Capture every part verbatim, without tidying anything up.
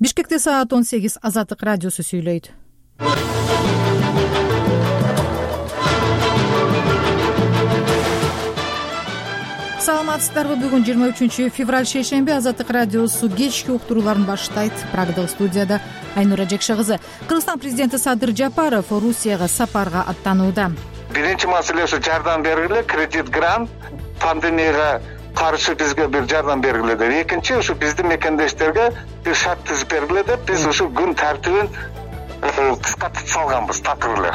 Бишкекте саат он сегиз. Азаттык радиосу сүйлөйт. Саламатсыздарбы? Бүгүн жыйырма үчүнчү февраль шейшемби. Азаттык радиосу кечки уктурууларын баштайт. Прагадагы студияда Айнура Жекше кызы. Кыргызстан президенти Садыр Жапаров Орусияга сапарга аттанууда. Биринчи маселе ушу жардам бергиле, кредит, грант, пандемияга каршы бизге бир жардам бергиле деп. Экинчи, ушу биздин мекендештерге бир шарт түзүп бергиле деп биз ушу күн тартибин кыскартып салганбыз такыр эле.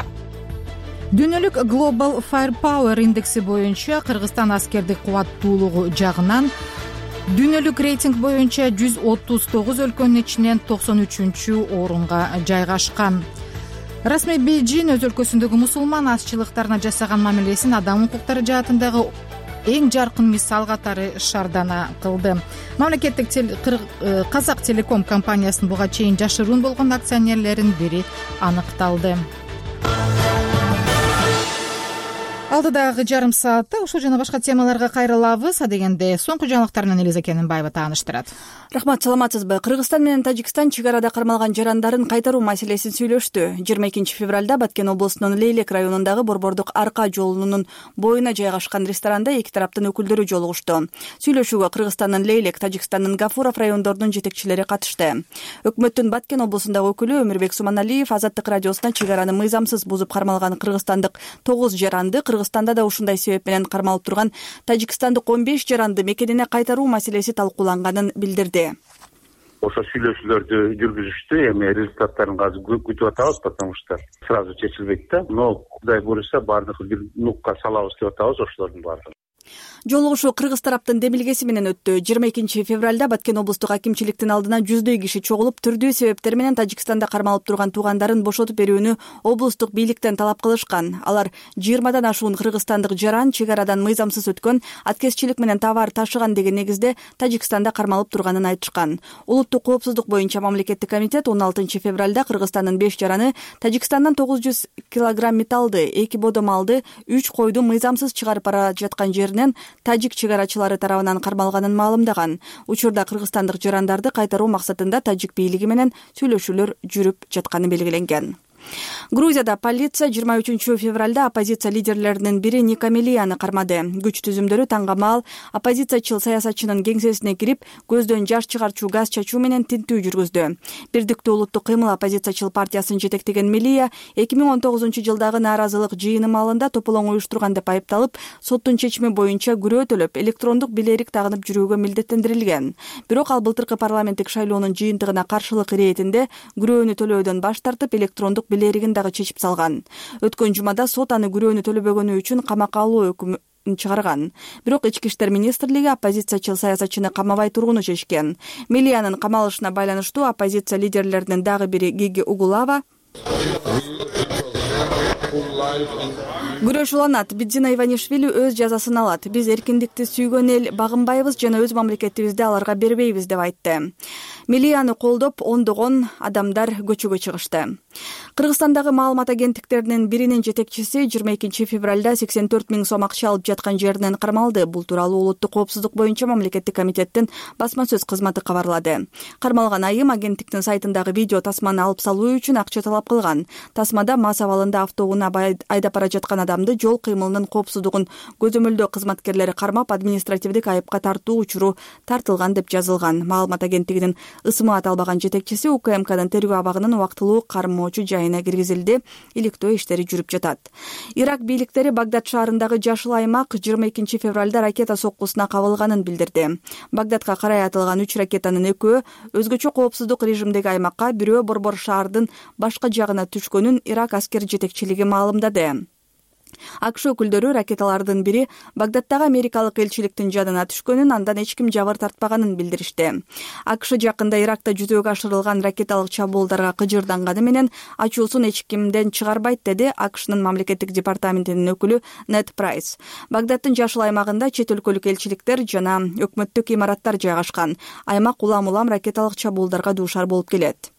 Дүйнөлүк Global Firepower индекси боюнча Кыргызстан аскердик кубаттуулугу жагынан дүйнөлүк рейтинг боюнча жүз отуз тогуз өлкөнүн ичинен токсон үчүнчү орунга жайгашкан. Расмий Бейжин өз өлкөсүндөгү мусулман азчылыктарына жасаган мамилесин адам укуктары жаатындагы эң жаркын мисал катары шаардана кылды. Мамлекеттик Казак Телеком компаниясынын буга чейин жашыруун болгон акционерлеринин бири аныкталды. Алдыдагы жарым саатта ушул жана башка темаларга кайрылабыз. Адегенде соңку жаңылыктар менен Элиза Кененбаева тааныштырат. Рахмат, саламатсызбы? Кыргызстан менен Тажикстан чек арада кармалган жарандарын кайтаруу маселесин сүйлөштү. жыйырма экинчи февралда Баткен облусунун Лейлек районундагы Борбордук Арка жолунун боюна жайгашкан ресторанда эки тараптын өкүлдөрү жолугушту. Сүйлөшүүгө Кыргызстандын Лейлек, Тажикстандын Гафуров райондорунун жетекчилери катышты. Өкмөттүн Баткен облусундагы өкүлү Өмүрбек Суманалиев Азаттык радиосуна чек араны мыйзамсыз бузуп кармалган кыргызстандык тогуз жаранды Кыргызстанда да ушундай себеп менен кармалып турган тажикстандык он беш жаранды мекенине кайтаруу маселеси талкууланганын билдирди. Ошо сүйлөшүүлөрдү жүргүзүштү. Эми результаттарын азыр күтүп атабыз, потому что сразу чечилбейт да. Но Кудай буюрса баардыгы бир нукка салабыз деп атабыз ошолордун баардыгын. Жолугушуу кыргыз тараптын демилгеси менен өттү. жыйырма экинчи февралда Баткен облустук акимчиликтин алдына жүздөй киши чогулуп, түрдүү себептер менен Тажикстанда кармалып турган туугандарын бошотуп берүүнү облустук бийликтен талап кылышкан. Алар жыйырмадан ашуун кыргызстандык жаран чек арадан мыйзамсыз өткөн, аткезчилик менен товар ташыган деген негизде Тажикстанда кармалып турганын айтышкан. Улуттук коопсуздук боюнча мамлекеттик комитет он алтынчы февралда Кыргызстандын беш жараны Тажикстандан тогуз жүз килограмм металлды, эки бодо малды, үч койду мыйзамсыз чыгарып бара жаткан жеринен тажик чек арачылары тарабынан кармалганын маалымдаган. Учурда кыргызстандык жарандарды кайтаруу максатында тажик бийлиги менен сүйлөшүүлөр жүрүп жатканы белгиленген. Грузияда полиция жыйырма үчүнчү февралда оппозиция лидерлеринин бири Никамелияны кармады. Күч түзүмдөрү таңгамал оппозициячыл саясатчынын кеңсесине кирип, көздөн жаш чыгарчу газ чачуу менен тинтүү жүргүздү. Бирдиктүү улуттук кыймыл оппозициячыл партиясын жетектеген Мелия эки миң он тогузунчу жылдагы нааразылык жыйыны маалында тополоң уюштурган деп айыпталып, соттун чечими боюнча күрөө төлөп, электрондук билерик тагынып жүрүүгө милдеттендирилген. Бирок ал былтыркы парламенттик шайлоонун жыйынтыгына каршылык иретинде күрөөнү төлөөдөн баш тартып, электрондук билеригин дагы чечип салган. Өткөн жумада сот аны күрөөнү төлөбөгөнү үчүн камакка алуу өкүмүн чыгарган. Бирок Ички иштер министрлиги оппозициячыл саясатчыны камабай тургуну чечкен. Мелиянын камалышына байланыштуу оппозиция лидерлеринин дагы бири Гиги Угулава күрөш уланат. Бидзина Иванишвили өз жазасын алат. Биз эркиндикти сүйгөн эл багынбайбыз жана өз мамлекетибизди аларга бербейбиз деп айтты. Мелияны колдоп ондогон адамдар көчөгө чыгышты. Кыргызстандагы маалымат агенттиктеринин биринин жетекчиси жыйырма экинчи февралда сексен төрт миң сом акча алып жаткан жеринен кармалды. Бул тууралуу улуттук коопсуздук боюнча мамлекеттик комитеттин басма сөз кызматы кабарлады. Кармалган айым агенттиктин сайтындагы видео тасманы алып салуу үчүн акча талап кылган. Тасмада мас абалында автоунаа айдап бара жаткан адамды жол кыймылынын коопсуздугун көзөмөлдөө кызматкерлери кармап, административдик айыпка тартуу учуру тартылган деп жазылган. Маалымат агенттигинин ысымы аталбаган жетекчиси УКМКнын тергөө абагынын убактылуу кармоочу жайына киргизилди. Иликтөө иштери жүрүп жатат. Ирак бийликтери Багдад шаарындагы жашыл аймак жыйырма экинчи февралда ракета соккусуна кабылганын билдирди. Багдадка карай атылган үч ракетанын экөө өзгөчө коопсуздук режимдеги аймакка, бирөө борбор шаардын башка жагына түшкөнүн Ирак аскер жетекчилиги маалымдады. АКШ өкүлдөрү ракеталардын бири Багдадтагы америкалык элчиликтин жанына түшкөнүн, андан эч ким жабыр тартпаганын билдиришти. АКШ жакында Иракта жүзөгө ашырылган ракеталык чабуулдарга кыжырданганы менен ачуусун эч кимден чыгарбайт, деди АКШнын мамлекеттик департаментинин өкүлү Нед Прайс. Багдадтын жашыл аймагында чет өлкөлүк элчиликтер жана өкмөттүк имараттар жайгашкан. Аймак улам-улам ракеталык чабуулдарга дуушар болуп келет.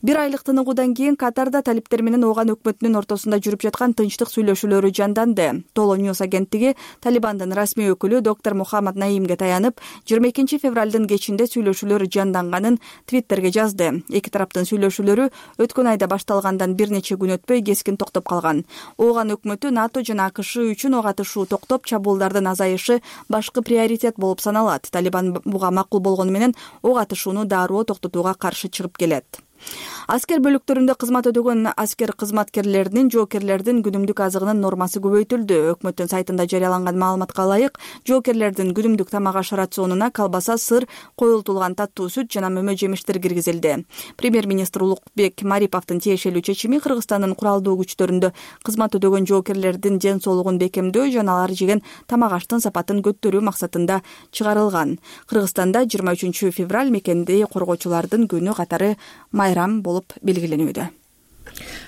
Бир айлык тыныгуудан кийин Катарда талиптер менен Ооган өкмөтүнүн ортосунда жүрүп жаткан тынчтык сүйлөшүүлөрү жанданды. Толо Ньюс агенттиги Талибандын расмий өкүлү доктор Мухаммад Наимге таянып, жыйырма экинчи февралдын кечинде сүйлөшүүлөр жанданганын Твиттерге жазды. Эки тараптын сүйлөшүүлөрү өткөн айда башталгандан бир нече күн өтпөй кескин токтоп калган. Ооган өкмөтү НАТО жана АКШ үчүн ок атышуу токтоп, чабуулдардын азайышы башкы приоритет болуп саналат. Талибан буга макул болгону менен ок атышууну дароо токтотууга каршы чыгып келет. Аскер бөлүктөрүндө кызмат өтөгөн аскер кызматкерлеринин жоокерлердин күнүмдүк азыгынын нормасы көбөйтүлдү. Өкмөттүн сайтында жарыяланган маалыматка ылайык, жоокерлердин күнүмдүк тамак аш рационуна колбаса, сыр, коюлтулган таттуу сүт жана мөмө жемиштер киргизилди. Премьер-министр Улукбек Мариповдун тиешелүү чечими Кыргызстандын куралдуу күчтөрүндө кызмат өтөгөн жоокерлердин ден соолугун бекемдөө жана алар жеген тамак аштын сапатын көтөрүү максатында чыгарылган. Кыргызстанда жыйырма үчүнчү февраль мекенди коргоочулардын күнү катары майрам болуп белгилениүүдө.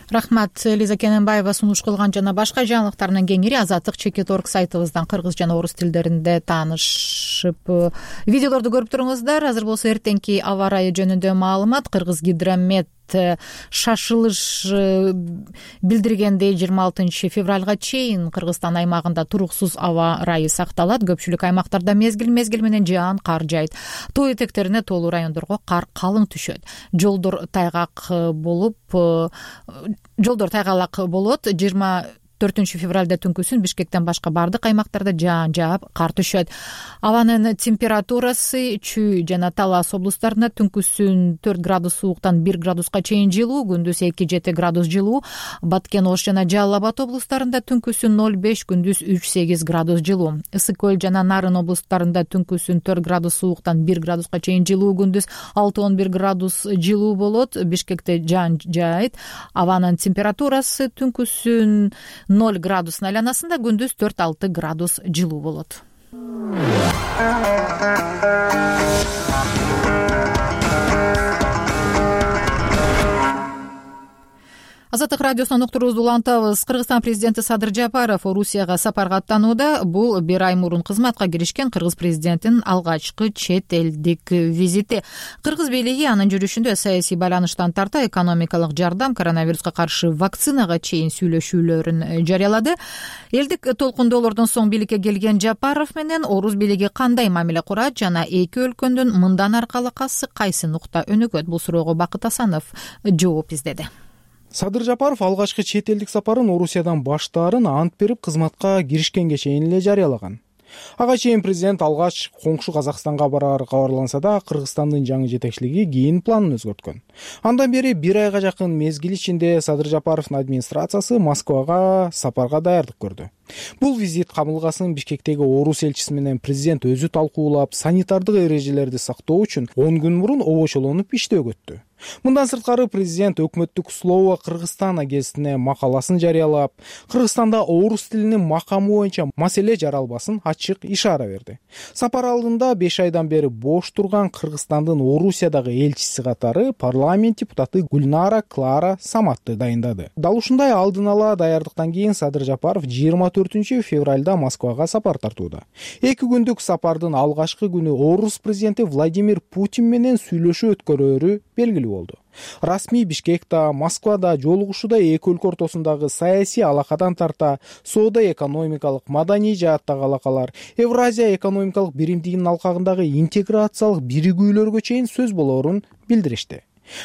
Рахмат, Лиза Кененбаева сунуш кылган жана башка жаңылыктардын кеңири Азаттык чекит орг сайтыбыздан кыргыз жана орус тилдеринде таанышып, видеолорду көрүп туруңуздар. Азыр болсо эртеңки аба ырайы жөнүндө маалымат. Кыргыз гидромет шашылыш билдиргендей жыйырма алтынчы февралга чейин Кыргызстан аймагында туруксуз аба ырайы сакталат. Көпчүлүк аймактарда мезгил мезгил менен жаан, кар жайт. Тоо этектерине тоолуу райондорго кар калың түшөт. Жолдор тайгак болуп, жолдор тайгалак болот. жыйырма төртүнчү февралда түнкүсүн Бишкектен башка бардык аймактарда жаан жаап, кар түшөт. Абанын температурасы Чүй жана Талас облустарында түнкүсүн төрт градус сууктан бир градуска чейин жылуу, күндүз эки жети градус жылуу. Баткен, Ош жана Жалал Абад облустарында түнкүсүн ноль беш, күндүз үч сегиз градус жылуу. Ысык көл жана Нарын облустарында түнкүсүн төрт градус сууктан бир градуска чейин жылуу, күндүз алты он бир градус жылуу болот. Бишкекте жаан жаайт. Абанын температурасы түнкүсүн ноль градустун айланасында, күндүз төрт алты градус жылуу болот. Азаттык радиосунан уктуруубузду улантабыз. Кыргызстан президенти Садыр Жапаров Орусияга сапарга аттанууда. Бул бир ай мурун кызматка киришкен кыргыз президентинин алгачкы чет элдик визити. Кыргыз бийлиги анын жүрүшүндө саясий байланыштан тарта экономикалык жардам, коронавируска каршы вакцинага чейин сүйлөшүүлөрүн жарыялады. Элдик толкундоолордон соң бийликке келген Жапаров менен орус бийлиги кандай мамиле курат жана эки өлкөнүн мындан аркалыкасы кайсы нукта өнүгөт? Бул суроого Бакыт Асанов жооп издеди. Садыр Жапаров алгачкы чет элдик сапарын Орусиядан баштаарын ант берип кызматка киришкенге чейин эле жарыялаган. Ага чейин президент алгач коңшу Казакстанга барары кабарланса да, Кыргызстандын жаңы жетекчилиги кийин планын өзгөрткөн. Андан бери бир айга жакын мезгил ичинде Садыр Жапаровдун администрациясы Москвага сапарга даярдык көрдү. Бул визит кабылгасын Бишкектеги орус элчиси менен президент өзү талкуулап, санитардык эрежелерди сактоо үчүн он күн мурун обочолонуп иштөөгө өттү. Мындан сырткары президент өкмөттүк Слово Кыргызстана гезитине макаласын жарыялап, Кыргызстанда орус тилинин макамы боюнча маселе жаралбасын ачык ишара берди. Сапар алдында беш айдан бери бош турган Кыргызстандын Орусиядагы элчиси катары парламент депутаты Гульнара Клара Саматты дайындады. Дал ушундай алдын ала даярдыктан кийин Садыр Жапаров жыйырма төртүнчү февралда Москвага сапар тартууда. Эки күндүк сапардын алгачкы күнү орус президенти Владимир Путин менен сүйлөшүү өткөрөөрү белгилүү болду. Расмий Бишкекте, Москвада жолугушууда эки өлкө ортосундагы саясий алакадан тарта соода-экономикалык, маданий жааттагы алакалар, Евразия экономикалык биримдигинин алкагындагы интеграциялык биригүүлөргө чейин сөз болоорун билдиришти.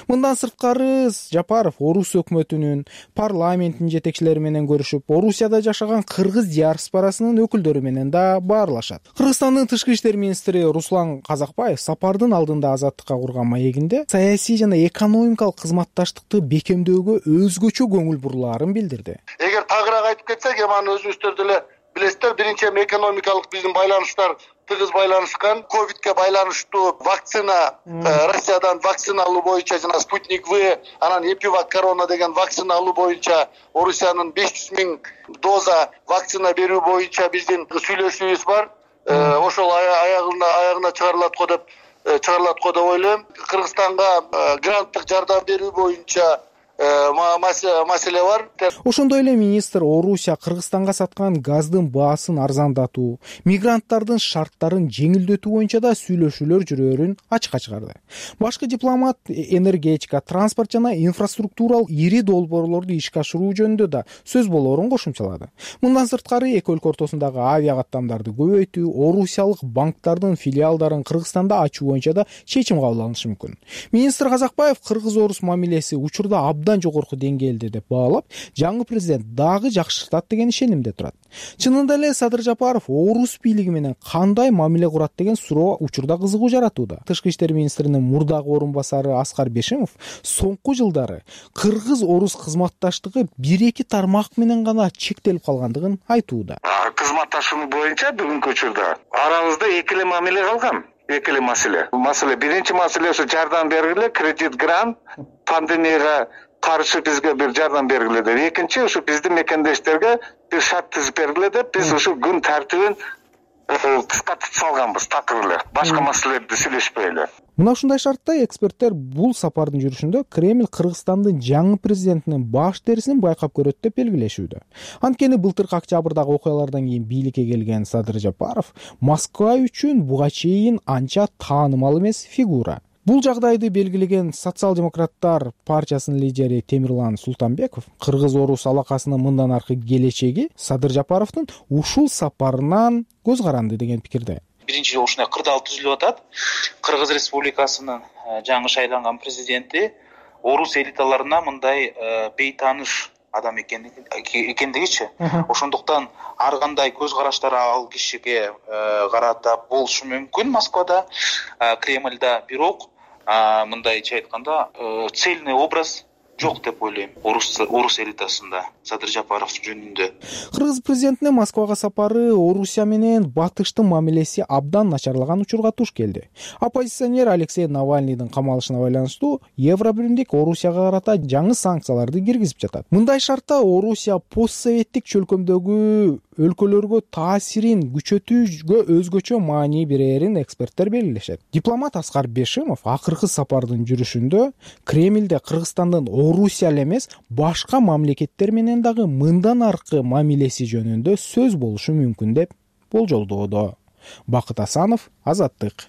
Мындан сырткары Жапаров орус өкмөтүнүн, парламенттин жетекчилери менен көрүшүп, Орусияда жашаган кыргыз диаспорасынын өкүлдөрү менен да баарлашат. Кыргызстандын тышкы иштер министри Руслан Казакбаев сапардын алдында Азаттыкка курган маегинде саясий жана экономикалык кызматташтыкты бекемдөөгө өзгөчө көңүл бурулаарын билдирди. Эгер тагыраак айтып кетсек, эми өзүңүздөр деле билесиздер, биринчи экономикалык биздин байланыштар тыгыз байланышкан. Ковидке байланыштуу вакцина, Россиядан вакцина алуу боюнча жана Спутник В, анан Эпивак корона деген вакцина алуу боюнча Орусиянын беш жүз миң доза вакцина берүү боюнча биздин сүйлөшүүбүз бар. Ошол аягына аягына чыгарылат го деп чыгарылат го деп ойлойм. Кыргызстанга гранттык жардам берүү боюнча маселе бар. Ошондой эле министр Орусия Кыргызстанга саткан газдын баасын арзандатуу, мигранттардын шарттарын жеңилдетүү боюнча да сүйлөшүүлөр жүрөөрүн ачыкка чыгарды. Башкы дипломат энергетика, транспорт жана инфраструктуралык ири долбоорлорду ишке ашыруу жөнүндө да сөз болоорун кошумчалады. Мындан сырткары эки өлкө ортосундагы авиа каттамдарды көбөйтүү, орусиялык банктардын филиалдарын Кыргызстанда ачуу боюнча да чечим кабыл алынышы мүмкүн. Министр Казакбаев кыргыз-орус мамилеси учурда абдан жогорку деңгээлде деп баалап, жаңы президент дагы жакшыртат деген ишенимде турат. Чынында эле Садыр Жапаров орус бийлиги менен кандай мамиле курат деген суроо учурда кызыгуу жаратууда. Тышкы иштер министринин мурдагы орун басары Аскар Бешимов соңку жылдары кыргыз-орус кызматташтыгы бир-эки тармак менен гана чектелип калгандыгын айтууда. Кызматташуу боюнча бүгүнкү учурда арабызда эки эле мамиле калган. Эки эле маселе. Маселе биринчи маселе ушу жардам бергиле, кредит грант, пандемияга каршы бизге бир жардам бергиле деп. Экинчи ушу биздин мекендештерге бир шарт түзүп бергиле деп биз ушу күн тартибин кыскартып салганбыз такыр эле. Башка маселелерди сүйлөшпөй эле. Мына ушундай шартта эксперттер бул сапардын жүрүшүндө Кремль Кыргызстандын жаңы президентинин баш терисин байкап көрөт деп белгилешүүдө. Анткени былтыркы октябрдагы окуялардан кийин бийликке келген Садыр Жапаров Москва үчүн буга чейин анча таанымал эмес фигура. Бул жагдайды белгилеген социал-демократтар партиясынын лидери Темирлан Султанбеков кыргыз-орус алакасынын мындан аркы келечеги Садыр Жапаровдун ушул сапарынан көз каранды деген пикирде. Биринчи ушундай кырдаал түзүлүп атат. Кыргыз Республикасынын жаңы шайланган президенти орус элиталарына мындай бейтааныш адам экендигичи. Ошондуктан ар кандай көз караштар ал кишиге карата болушу мүмкүн Москвада, Кремльда, бирок мындайча айтканда цельный образ жок деп ойлойм орус орус элитасында Садыр Жапаров жөнүндө. Кыргыз президентинин Москвага сапары Орусия менен батыштын мамилеси абдан начарлаган учурга туш келди. Оппозиционер Алексей Навальныйдын камалышына байланыштуу Евробиримдик Орусияга карата жаңы санкцияларды киргизип жатат. Мындай шартта Орусия постсоветтик чөлкөмдөгү өлкөлөргө таасирин күчөтүүгө өзгөчө маани берерин эксперттер белгилешет. Дипломат Аскар Бешимов акыркы сапардын жүрүшүндө Кремльде Кыргызстандын Орусия эле эмес, башка мамлекеттер менен дагы мындан аркы мамилеси жөнүндө сөз болушу мүмкүн деп болжолдоодо. Бакыт Асанов, Азаттык.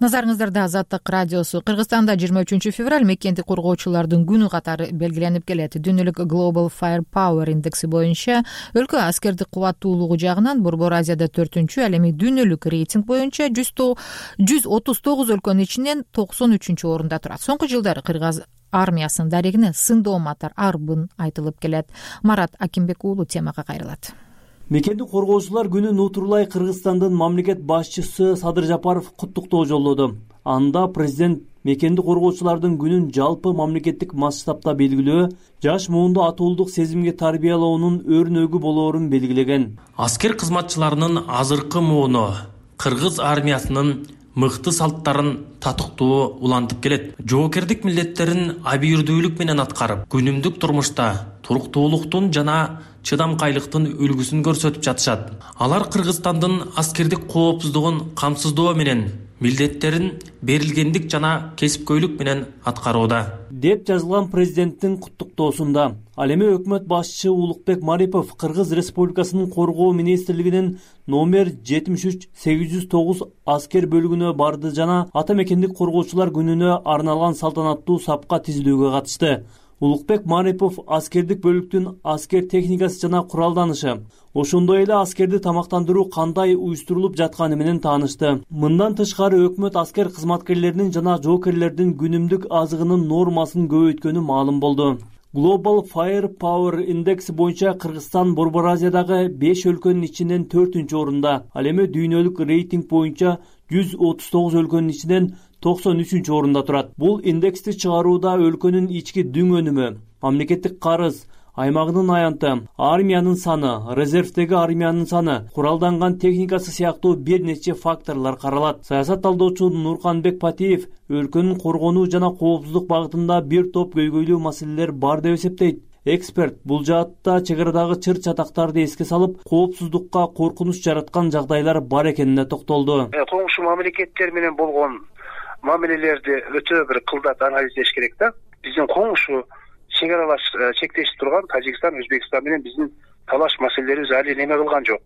Назарыңыздарда Азаттык радиосу. Кыргызстанда жыйырма үчүнчү февраль мекендик коргоочулардын күнү катары белгиленип келет. Дүйнөлүк Global Firepower индекси боюнча өлкө аскердик кубаттуулугу жагынан Борбор Азияда төртүнчү, ал эми дүйнөлүк рейтинг боюнча жүз отуз тогуз өлкөнүн ичинен токсон үчүнчү орунда турат. Соңку жылдары Кыргыз армиясынын дарегине сындооматтар арбын айтылып келет. Марат Акимбек уулу темага кайрылат. Мекендик коргоочулар күнүн утурлай Кыргызстандын мамлекет башчысы Садыр Жапаров куттуктоо жолдоду. Анда президент мекендик коргоочулардын күнүн жалпы мамлекеттик масштабта белгилөө, жаш муунду атуулдук сезимге тарбиялоонун өрнөгү болоорун белгилеген. Аскер кызматчыларынын азыркы мууну Кыргыз армиясынын мыкты салттарын татыктуу улантып келет. Жоокердик милдеттерин абийирдүүлүк менен аткарып, күнүмдүк турмушта туруктуулуктун жана чыдамкайлыктын үлгүсүн көрсөтүп жатышат. Алар Кыргызстандын аскердик коопсуздугун камсыздоо менен милдеттерин берилгендик жана кесипкөйлүк менен аткарууда деп жазылган президенттин куттуктоосунда. Ал эми өкмөт башчысы Улукбек Марипов Кыргыз Республикасынын коргоо министрлигинин номер жетимиш үч сегиз жүз тогуз аскер бөлүгүнө барды жана ата мекендик коргоочулар күнүнө арналган салтанаттуу сапка тизилүүгө катышты. Улукбек Марипов аскердик бөлүктүн аскер техникасы жана куралданышы, ошондой эле аскерди тамактандыруу кандай уюштурулуп жатканы менен таанышты. Мындан тышкары өкмөт аскер кызматкерлеринин жана жоокерлердин күнүмдүк азыгынын нормасын көбөйткөнү маалым болду. Global Firepower индекси боюнча Кыргызстан Борбор Азиядагы беш өлкөнүн ичинен төртүнчү орунда, ал эми дүйнөлүк рейтинг боюнча жүз отуз тогуз өлкөнүн ичинен токсон үчүнчү орунда турат. Бул индексти чыгарууда өлкөнүн ички дүң өнүмү, мамлекеттик карыз, аймагынын аянты, армиянын саны, резервдеги армиянын саны, куралданган техникасы сыяктуу бир нече факторлор каралат. Саясат талдоочу Нурканбек Патиев өлкөнүн коргонуу жана коопсуздук багытында бир топ көйгөйлүү маселелер бар деп эсептейт. Эксперт бул жаатта чек арадагы чыр чатактарды эске салып, коопсуздукка коркунуч жараткан жагдайлар бар экенине токтолду. Коңшу мамлекеттер менен болгон мамилелерди өтө бир кылдат анализдеш керек да. Биздин коңшу чек аралаш чектешип турган Тажикстан, Өзбекстан менен биздин талаш маселелерибиз али неме кылган жок,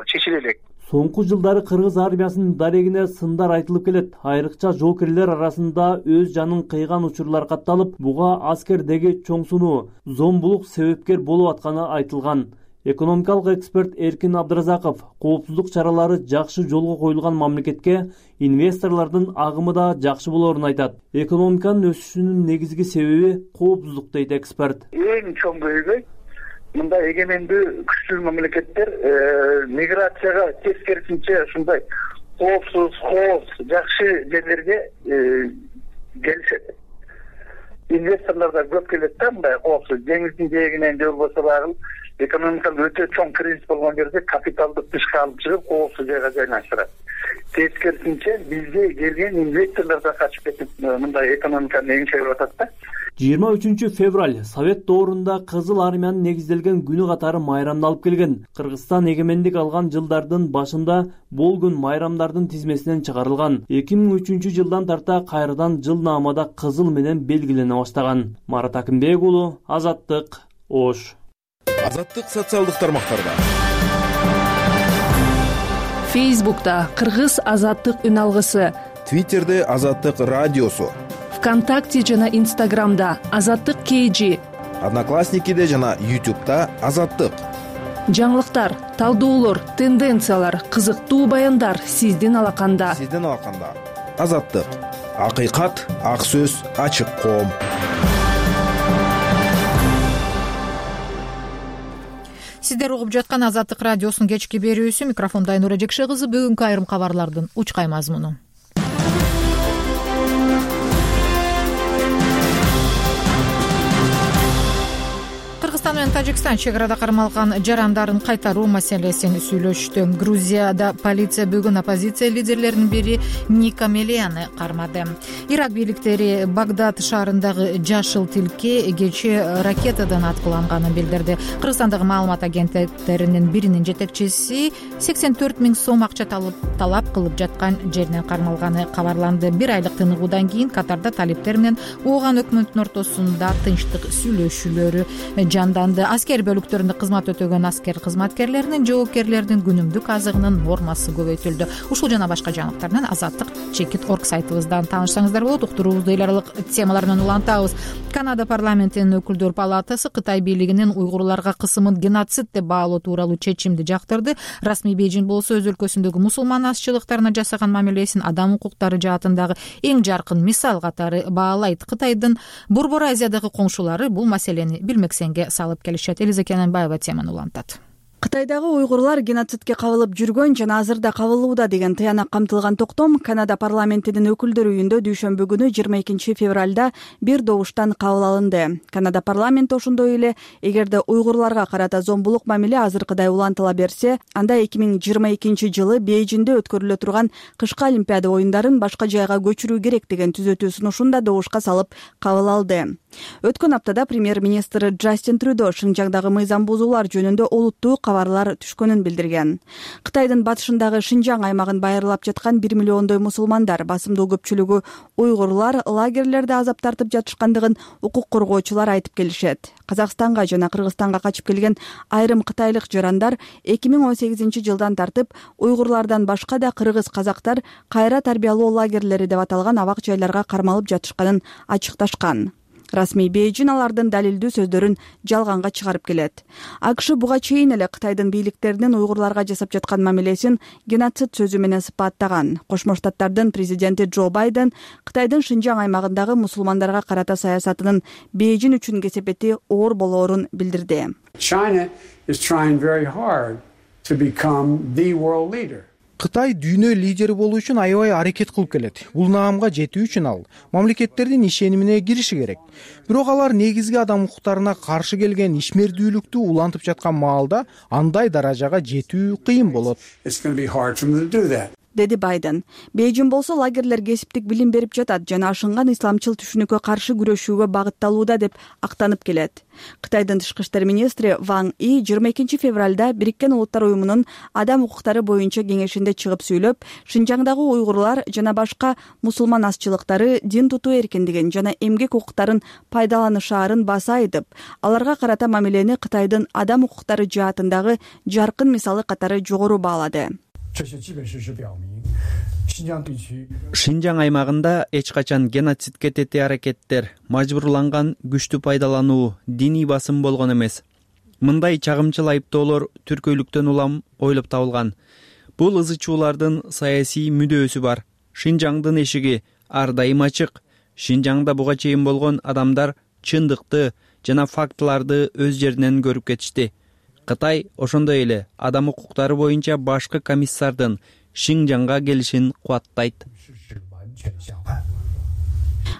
чечиле элек. Соңку жылдары кыргыз армиясынын дарегине сындар айтылып келет. Айрыкча жоокерлер арасында өз жанын кыйган учурлар катталып, буга аскердеги чоңсунуу, зомбулук себепкер болуп атканы айтылган. Экономикалык эксперт Эркин Абдыразаков коопсуздук чаралары жакшы жолго коюлган мамлекетке инвесторлордун агымы да жакшы болоорун айтат. Экономиканын өсүшүнүн негизги себеби коопсуздук дейт эксперт. Эң чоң көйгөй мындай эгемендүү күчтүү мамлекеттер миграцияга тескерисинче ушундай коопсуз, кооз, жакшы жерлерге келишет. Инвесторлор да көп келет да, мындай коопсуз деңиздин жээгинен же болбосо багы экономикалык өтө чоң кризис болгон жерде капиталды тышка алып чыгып коопсуз жайга жайлаштырат. Тескерисинче бизге келген инвесторлор да качып кетип мындай экономиканы эңшелеп атат да. жыйырма үчүнчү февраль Совет доорунда Кызыл армиянын негизделген күнү катары майрамдалып келген. Кыргызстан эгемендик алган жылдардын башында бул күн майрамдардын тизмесинен чыгарылган. эки миң үчүнчү жылдан тарта кайрадан жылнаамада кызыл менен белгилене баштаган. Марат Акимбек уулу, Азаттык, Ош. Азаттык социалдык тармактарда. Фейсбукта Кыргыз азаттык үн алгысы, Твиттерде Азаттык радиосу, ВКонтакте жана Инстаграмда Азаттык кей жи, Одноклассникиде жана Ютубта Азаттык. Жаңылыктар, талдоолор, тенденциялар, кызыктуу баяндар сиздин алаканда. Сиздин алаканда. Азаттык. Акыйкат, ак сөз, ачык коом. Сиздер угуп жаткан Азаттык радиосунун кечки берүүсү. Микрофонда Айнура Жекше кызы. Бүгүнкү айрым кабарлардын учкай мазмуну. Кыргызстан менен Тажикстан чек арада кармалган жарандарын кайтаруу маселесин сүйлөштү. Грузияда полиция бүгүн оппозиция лидерлеринин бири Ника Мелияны кармады. Ирак бийликтери Багдад шаарындагы жашыл тилке кечээ ракетадан аткыланганын билдирди. Кыргызстандагы маалымат агенттиктеринин биринин жетекчиси сексен төрт миң сом акча талап кылып жаткан жеринен кармалганы кабарланды. Бир айлык тыныгуудан кийин Катарда талиптер менен ооган өкмөттүн ортосунда тынчтык сүйлөшүүлөрү жанданды. Аскер бөлүктөрүндө кызмат өтөгөн аскер кызматкерлеринин жоопкерлердин күнүмдүк азыгынын нормасы көбөйтүлдү. Ушул жана башка жаңылыктар менен Азаттык чекит точка орг сайтыбыздан таанышсаңыздар болот. Уктуруубузду эл аралык темалар менен улантабыз. Канада парламентинин өкүлдөр палатасы Кытай бийлигинин уйгурларга кысымын геноцид деп баалоо тууралуу чечимди жактырды. Расмий Бейжин болсо өз өлкөсүндөгү мусулман азчылыктарына жасаган мамилесин адам укуктары жаатындагы эң жаркын мисал катары баалайт. Кытайдын Борбор Азиядагы коңшулары бул маселени билмексенге салып келишет. Элиза Кененбаева теманы улантат. Кытайдагы уйгурлар геноцидке кабылып жүргөн жана азырда кабылууда деген тыянак камтылган токтом Канада парламентинин өкүлдөр үйүндө дүйшөмбү күнү жыйырма экинчи февралда бир добуштан кабыл алынды. Канада парламенти ошондой эле эгерде уйгурларга карата зомбулук мамиле азыркыдай улантыла берсе, анда эки миң жыйырма экинчи жылы Бейжинде өткөрүлө турган кышкы Олимпиада оюндарын башка жайга көчүрүү керек деген түзөтүү сунушун да добушка салып кабыл алды. Өткөн аптада премьер-министр Джастин Трюдо Шинжаңдагы мыйзам бузуулар жөнүндө олуттуу кабарлар түшкөнүн билдирген. Кытайдын батышындагы Шинжаң аймагын байырлап жаткан бир миллиондой мусулмандар, басымдуу көпчүлүгү уйгурлар, лагерлерде азап тартып жатышкандыгын укук коргоочулар айтып келишет. Казакстанга жана Кыргызстанга качып келген айрым кытайлык жарандар эки миң он сегизинчи жылдан тартып уйгурлардан башка да кыргыз казактар кайра тарбиялоо лагерлери деп аталган абак жайларга кармалып жатышканын ачыкташкан. Расмий Бейжин алардын далилдүү сөздөрүн жалганга чыгарып келет. АКШ буга чейин эле Кытайдын бийликтеринин уйгурларга жасап жаткан мамилесин геноцид сөзү менен сыпаттаган. Кошмо Штаттардын президенти Джо Байден Кытайдын Шинжаң аймагындагы мусулмандарга карата саясатынын Бейжин үчүн кесепети оор болоорун билдирди. China is trying very hard to become the world leader. Кытай дүйнө лидери болуу үчүн аябай аракет кылып келет. Бул наамга жетүү үчүн ал мамлекеттердин ишенимине кириши керек. Бирок алар негизги адам укуктарына каршы келген ишмердүүлүктү улантып жаткан маалда андай даражага жетүү кыйын болот. деди Байден. Бейжин болсо лагерлер кесиптик билим берип жатат жана ашынган исламчыл түшүнүккө каршы күрөшүүгө багытталууда деп актанып келет. Кытайдын тышкы иштер министри Ван И жыйырма экинчи февралда Бириккен Улуттар уюмунун адам укуктары боюнча кеңешинде чыгып сүйлөп, Шинжаңдагы уйгурлар жана башка мусулман азчылыктары дин тутуу эркиндигин жана эмгек укуктарын пайдаланышаарын баса айтып, аларга карата мамилени Кытайдын адам укуктары жаатындагы жаркын мисалы катары жогору баалады. Шинжаң аймагында эч качан геноцидке тети аракеттер, мажбурланган күчтү пайдалануу, диний басым болгон эмес. Мындай чагымчыл айыптоолор түркөйлүктөн улам ойлоп табылган. Бул ызы чуулардын саясий мүдөөсү бар. Шинжаңдын эшиги ар дайым ачык. Шинжаңда буга чейин болгон адамдар чындыкты жана фактыларды өз жеринен көрүп кетишти. Кытай ошондой эле адам укуктары боюнча башкы комиссардын Шинжаңга келишин кубаттайт.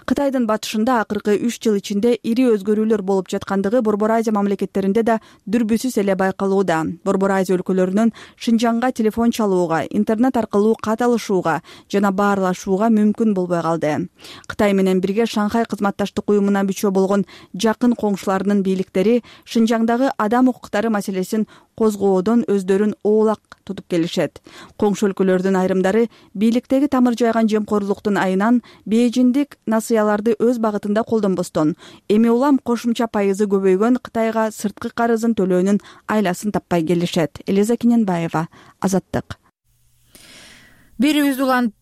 Кытайдын батышында акыркы үч жыл ичинде ири өзгөрүүлөр болуп жаткандыгы Борбор Азия мамлекеттеринде да дүрбүсүз эле байкалууда. Борбор Азия өлкөлөрүнүн Шинжаңга телефон чалууга, интернет аркылуу кат алышууга жана баарлашууга мүмкүн болбой калды. Кытай менен бирге Шанхай кызматташтык уюмуна мүчө болгон жакын коңшуларынын бийликтери Шинжаңдагы адам укуктары маселесин козгоодон өздөрүн оолак тутуп келишет. Коңшу өлкөлөрдүн айрымдары бийликтеги тамыр жайган жемкорлуктун айынан бейжиндик насыяларды өз багытында колдонбостон, эми улам кошумча пайызы көбөйгөн Кытайга сырткы карызын төлөөнүн айласын таппай келишет. Элиза Кененбаева, Азаттык. Бирибиз улантабыз.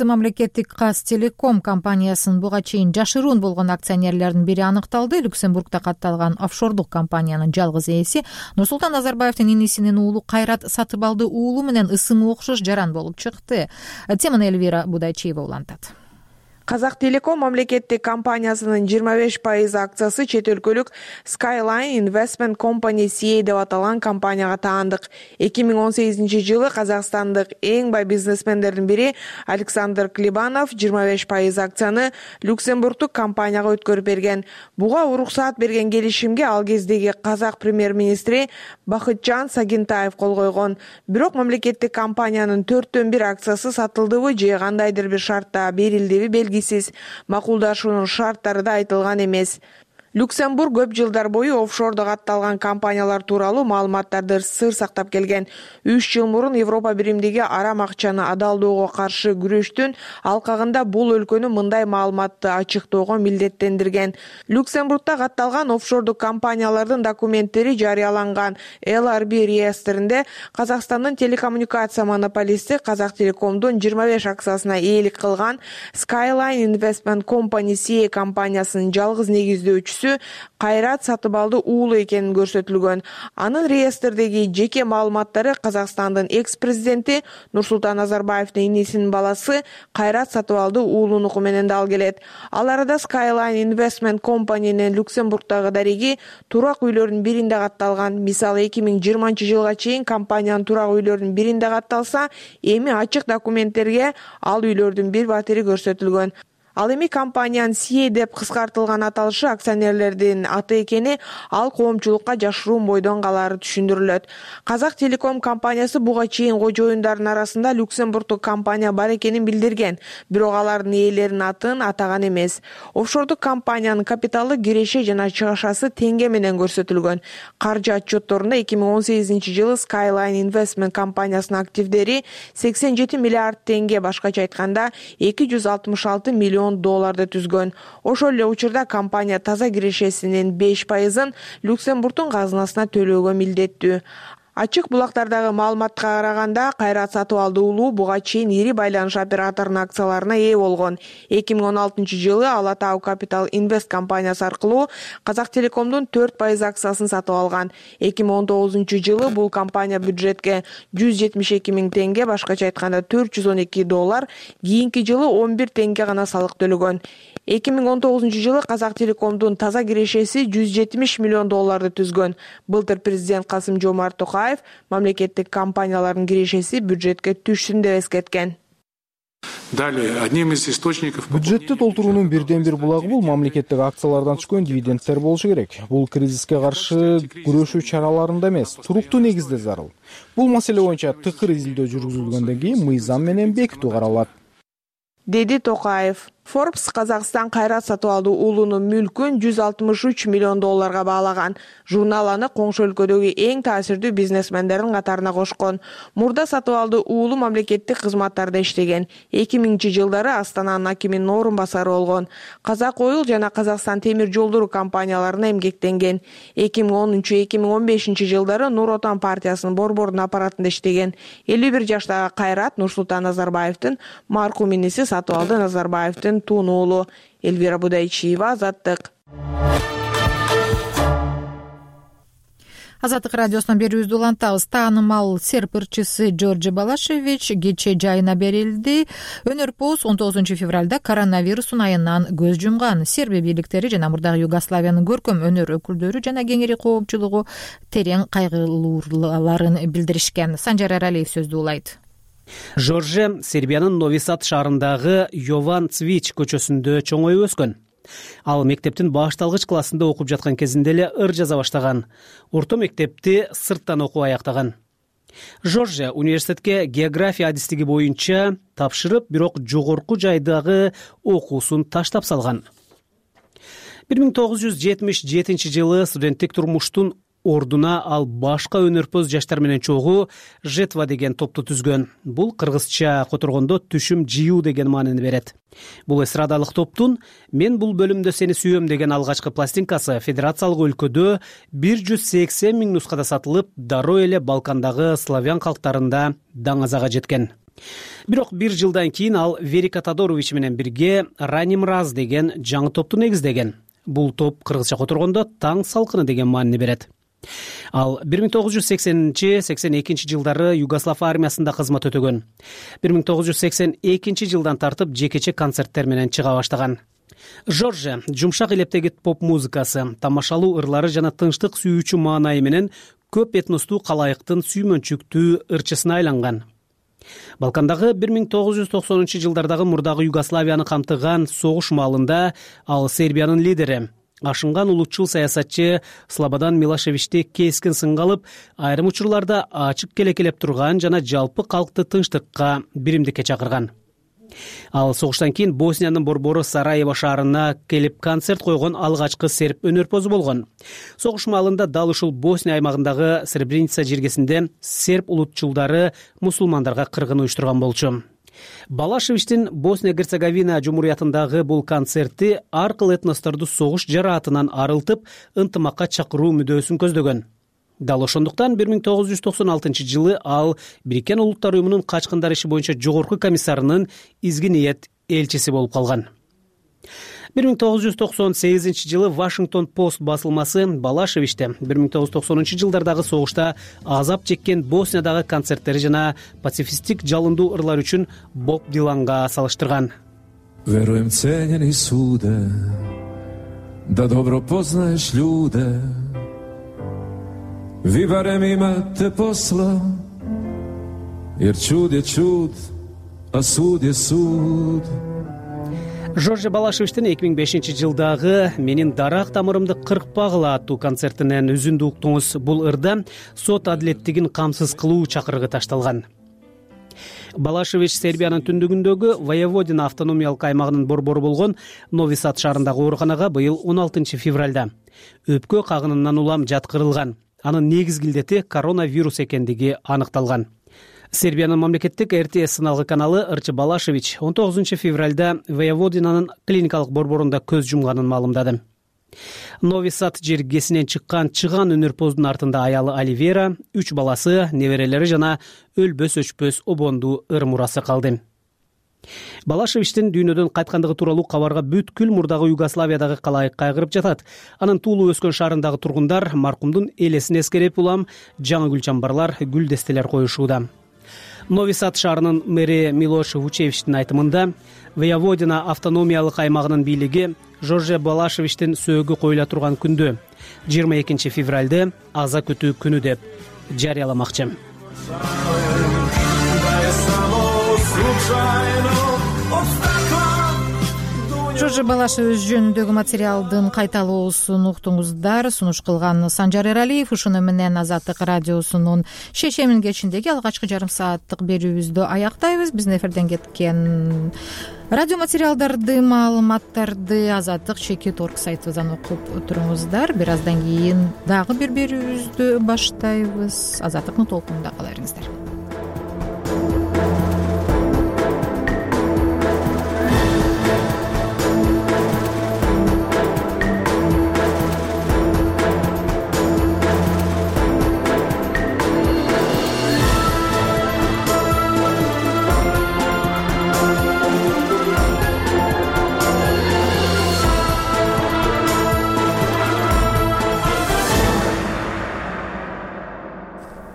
Мамлекеттик Казтелеком компаниясынын буга чейин жашыруун болгон акционерлердин бири аныкталды. Люксембургда катталган офшордук компаниянын жалгыз ээси Нурсултан Назарбаевдин инисинин уулу Кайрат Сатыбалды уулу менен ысымы окшош жаран болуп чыкты. Теманы Элвира Будайчиева улантат. Казактелеком мамлекеттик компаниясынын жыйырма беш пайыз акциясы чет өлкөлүк Skyline Investment Company си эй деп аталган компанияга таандык. эки миң он сегизинчи жылы Казакстандык эң бай бизнесмендердин бири Александр Клебанов жыйырма беш пайыз акцияны Люксембургдук компанияга өткөрүп берген. Буга уруксаат берген келишимге ал кездеги Казак премьер-министри Бакытжан Сагентаев кол койгон. Бирок мамлекеттик компаниянын төрттөн бир акциясы сатылдыбы же кандайдыр бир шартта берилдиби белгисиз. Макулдашуунун шарттары да айтылган эмес. Люксембург көп жылдар бою офшордо катталган компаниялар тууралуу маалыматтарды сыр сактап келген. үч жыл мурун Европа биримдиги арам акчаны адалдоого каршы күрөштүн алкагында бул өлкөнү мындай маалыматты ачыктоого милдеттендирген. Люксембургда катталган офшордук компаниялардын документтери жарыяланган эл ар би реестринде Казакстандын телекоммуникация монополисти Казактелекомдун жыйырма беш акциясына ээлик кылган Skyline Investment Company си эй компаниясынын жалгыз негиздөөчүсү Кайрат Сатыбалды уулу экенин көрсөтүлгөн. Анын реестрдеги жеке маалыматтары Казакстандын экс-президенти Нурсултан Назарбаевдин инисинин баласы Кайрат Сатыбалды уулунуку менен дал келет. Ал арада Skyline Investment Company'нин Люксембургдагы дареги турак үйлөрдүн биринде катталган. Мисалы эки миң жыйырманчы жылга чейин компаниянын турак үйлөрдүн биринде катталса, эми ачык документтерге ал үйлөрдүн бир батири көрсөтүлгөн. Ал эми компаниянын си эй деп кыскартылган аталышы акционерлердин аты экени ал коомчулукка жашыруун бойдон калаары түшүндүрүлөт. Казактелеком компаниясы буга чейин кожоюндардын арасында Люксембургдук компания бар экенин билдирген, бирок алардын ээлеринин атын атаган эмес. Офшордук компаниянын капиталы, киреше жана чыгышасы теңге менен көрсөтүлгөн. Каржы отчетторунда эки миң он сегизинчи жылы Skyline Investment компаниясынын активдери сексен жети миллиард теңге, башкача айтканда эки жүз алтымыш алты миллион долларды түзгөн. Ошол эле учурда компания таза кирешесинин беш пайызын Люксембургдун казынасына төлөөгө милдеттүү. Ачык булактардагы маалыматка караганда Кайрат Сатыбалды уулу буга чейин ири байланыш операторунун акцияларына ээ болгон. эки миң он алтынчы жылы Ала Тау Capital Invest компаниясы аркылуу Казактелекомдун төрт пайыз акциясын сатып алган. эки миң он тогузунчу жылы бул компания бюджетке жүз жетимиш эки миң теңге, башкача айтканда төрт жүз он эки доллар, кийинки жылы он бир теңге гана салык төлөгөн. эки миң он тогузунчу жылы Казактелекомдун таза кирешеси жүз жетимиш миллион долларды түзгөн. Былтыр президент Касым Жомарт Токаев мамлекеттик компаниялардын кирешеси бюджетке түшсүн деп эскерткен. Далее, одним из источников бюджетти толтуруунун бирден бир булагы бул мамлекеттик акциялардан түшкөн дивидендтер болушу керек. Бул кризиске каршы күрөшүү чараларында эмес, туруктуу негизде зарыл. Бул маселе боюнча тыкыр изилдөө жүргүзүлгөндөн кийин мыйзам менен бекитүү каралат, деди Токаев. Forbes Казакстан кайрат сатып алды уулунун мүлкүн жүз алтымыш үч миллион долларга баалаган. Журнал аны коңшу өлкөдөгү эң таасирдүү бизнесмендердин катарына кошкон. Мурда сатып алды уулу мамлекеттик кызматтарда иштеген. эки миңинчи жылдары Астананын акиминин орун басары болгон. Казак Ойл жана Казакстан темир жолдору компанияларына эмгектенген. эки миң онунчу — эки миң он бешинчи жылдары Нур Отан партиясынын борбордун аппаратында иштеген. элүү бир жаштагы Кайрат Нурсултан Назарбаевдин маркум иниси Сатыбалды Назарбаевдин тун уулу. Элвира Будайчиева, Азаттык. Азаттык радиосунан берүүбүздү улантабыз. Таанымал серп ырчысы Джордже Балашевич кечээ жайына берилди. Өнөрпоз он тогузунчу февралда коронавирустун айынан көз жумган. Сербия бийликтери жана мурдагы Югославиянын көркөм өнөр өкүлдөрү жана кеңири коопчулугу терең кайгылууларын билдиришкен. Санжар Аралиев сөздү улайт. Жорже Сербиянын Нови Сад шаарындагы Йован Цвич көчөсүндө чоңоюп өскөн. Ал мектептин башталгыч классында окуп жаткан кезинде эле ыр жаза баштаган. Орто мектепти сырттан окуп аяктаган. Жорже университетке география адистиги боюнча тапшырып, бирок жогорку жайдагы окуусун таштап салган. бир миң тогуз жүз жетимиш жетинчи жылы студенттик турмуштун ордуна ал башка өнөрпоз жаштар менен чогуу Жетва деген топту түзгөн. Бул кыргызча которгондо түшүм жыюу деген маанини берет. Бул эстрадалык топтун «Мен бул бөлүмдө сени сүйөм» деген алгачкы пластинкасы федерациялык өлкөдө бир жүз сексен миң нускада сатылып, дароо эле Балкандагы славян калктарында даңазага жеткен. Бирок бир жылдан кийин ал Верика Тодорович менен бирге Раним Раз деген жаңы топту негиздеген. Бул топ кыргызча которгондо таң салкыны деген маанини берет. Ал бир миң тогуз жүз сексенинчи — сексен экинчи жылдары Югослав армиясында кызмат өтөгөн. бир миң тогуз жүз сексен экинчи жылдан тартып жекече концерттер менен чыга баштаган. Жорже жумшак илептеги поп музыкасы, тамашалуу ырлары жана тынчтык сүйүүчү маанайы менен көп этностуу калайыктын сүймөнчүктүү ырчысына айланган. Балкандагы бир миң тогуз жүз токсонунчу жылдардагы мурдагы Югославияны камтыган согуш маалында ал Сербиянын лидери, ашынган улутчул саясатчы Слободан Милошевичти кескин сынга алып, айрым учурларда ачык келекелеп турган жана жалпы калкты тынчтыкка, биримдикке чакырган. Ал согуштан кийин Босниянын борбору Сараево шаарына келип концерт койгон алгачкы серб өнөрпозу болгон. Согуш маалында дал ушул Босния аймагындагы Сребреница жергесинде серб улутчулдары мусулмандарга кыргын уюштурган болчу. Балашевичтин Босния-Герцеговина жумуриятындагы бул концерти ар кыл этносторду согуш жараатынан арылтып, ынтымакка чакыруу мүдөөсүн көздөгөн. Дал ошондуктан бир миң тогуз жүз токсон алтынчы жылы ал Бириккен Улуттар уюмунун качкындар иши боюнча жогорку комиссарынын изги ниет элчиси болуп калган. бир миң тогуз жүз токсон сегизинчи жылы Вашингтон Пост басылмасы Балашевичти бир миң тогуз жүз токсонунчу жылдардагы согушта азап чеккен Босниядагы концерттери жана пацифисттик жалындуу ырлар үчүн Боб Диланга салыштырган. Веруем, ценени суде, да добро познаеш људе. Ви барем имате посла, jer čud je čud, a суд je суд. Жорже Балашевичтин эки миң бешинчи жылдагы «Менин дарак тамырымды кыркпагыла» аттуу концертинен үзүндү уктуңуз. Бул ырда сот адилеттигин камсыз кылуу чакырыгы ташталган. Балашевич Сербиянын түндүгүндөгү Воеводина автономиялык аймагынын борбору болгон Нови Сад шаарындагы ооруканага быйыл он алтынчы февралда өпкө кагынынан улам жаткырылган. Анын негизги илдети коронавирус экендиги аныкталган. Сербиянын мамлекеттик эр тэ эс сыналгы каналы ырчы Балашевич он тогузунчу февралда Воеводинанын клиникалык борборунда көз жумганын маалымдады. Нови Сад жергесинен чыккан чыган өнөрпоздун артында аялы Оливера, үч баласы, неберелери жана өлбөс өчпөс обондуу ыр мурасы калды. Балашевичтин дүйнөдөн кайткандыгы тууралуу кабарга бүткүл мурдагы Югославиядагы калайык кайгырып жатат. Анын туулуп өскөн шаарындагы тургундар маркумдун элесин эскерип улам жаңы гүл чамбарлар, гүл дестелер коюшууда. Нови Сад шаарынын мэри Милош Вучевичтин айтымында Воеводина автономиялык аймагынын бийлиги Жорже Балашевичтин сөөгү коюла турган күндү жыйырма экинчи февралды аза күтүү күнү деп жарыяламакчы. жожо балаша өз жөнүндөгү материалдын кайталоосун уктуңуздар. Сунуш кылган Санжар Эралиев. Ушуну менен Азаттык радиосунун шешемин кечиндеги алгачкы жарым сааттык берүүбүздү аяктайбыз. Биздин эфирден кеткен радио материалдарды, маалыматтарды азаттык чекит орг сайтыбыздан окуп туруңуздар. Бир аздан кийин дагы бир берүүбүздү баштайбыз. Азаттыктын толкунунда кала бериңиздер.